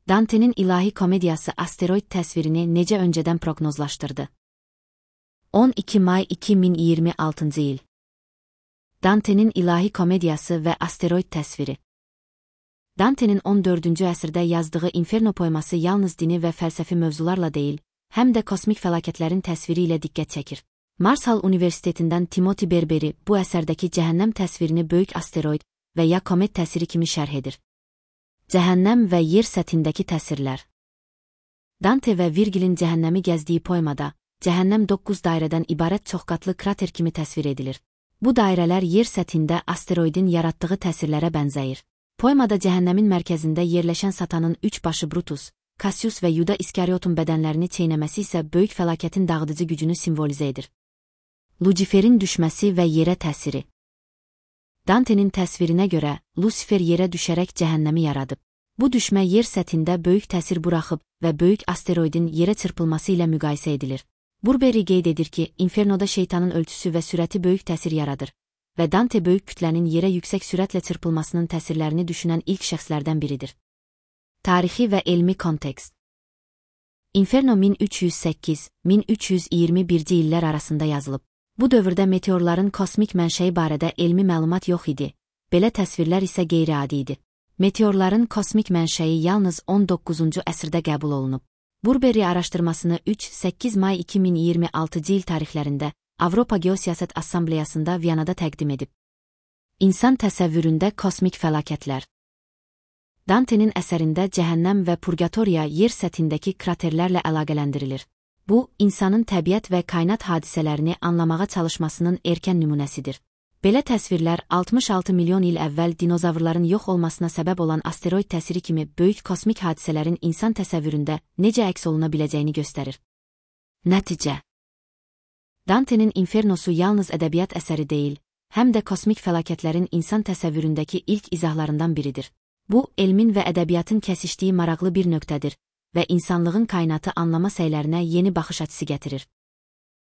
Dante'nin ilahi komediyası asteroid təsvirini necə öncədən proqnozlaşdırdı? 12 may 2026 il. Dante'nin ilahi komediyası və asteroid təsviri. Dante'nin 14-cü əsrdə yazdığı Inferno poeması yalnız dini və fəlsəfi mövzularla deyil, həm də kosmik fəlakətlərin təsviri ilə diqqət çəkir. Marshall Universitetindən Timothy Berberi bu əsərdəki cəhənnəm təsvirini böyük asteroid və ya komet təsiri kimi şərh edir. Cəhənnəm və yer səthindəki təsirlər. Dante və Virgilin cəhənnəmi gəzdiyi poemada, cəhənnəm 9 dairədən ibarət çoxqatlı krater kimi təsvir edilir. Bu dairələr yer səthində asteroidin yaratdığı təsirlərə bənzəyir. Poemada cəhənnəmin mərkəzində yerləşən Satanın 3 başı Brutus, Cassius və Yuda İskariotun bədənlərini çeynəməsi isə böyük fəlakətin dağıdıcı gücünü simvolizə edir. Luciferin düşməsi və yerə təsiri. Dante'nin təsvirinə görə, Lucifer yerə düşərək cəhənnəmi yaradıb. Bu düşmə yer səthində böyük təsir buraxıb və böyük asteroidin yerə çırpılması ilə müqayisə edilir. Burberry qeyd edir ki, Infernoda şeytanın ölçüsü və sürəti böyük təsir yaradır və Dante böyük kütlənin yerə yüksək sürətlə çırpılmasının təsirlərini düşünən ilk şəxslərdən biridir. Tarixi və elmi kontekst. Inferno 1308-1321-ci illər arasında yazılıb. Bu dövrdə meteorların kosmik mənşəyi barədə elmi məlumat yox idi, belə təsvirlər isə qeyri-adi idi. Meteorların kosmik mənşəyi yalnız 19-cu əsrdə qəbul olunub. Burberry araşdırmasını 3-8 may 2026 il tarixlərində Avropa Geosiyasət Assambleyasında Viyanada təqdim edib. İnsan təsəvvüründə kosmik fəlakətlər. Dante'nin əsərində cəhənnəm və purgatoriya yer səthindəki kraterlərlə əlaqələndirilir. Bu, insanın təbiət və kainat hadisələrini anlamağa çalışmasının erkən nümunəsidir. Belə təsvirlər 66 milyon il əvvəl dinozavrların yox olmasına səbəb olan asteroid təsiri kimi böyük kosmik hadisələrin insan təsəvvüründə necə əks oluna biləcəyini göstərir. Nəticə. Dante'nin Infernosu yalnız ədəbiyyat əsəri deyil, həm də kosmik fəlakətlərin insan təsəvvüründəki ilk izahlarından biridir. Bu, elmin və ədəbiyyatın kəsişdiyi maraqlı bir nöqtədir və insanlığın kainatı anlama səylərinə yeni baxış açısı gətirir.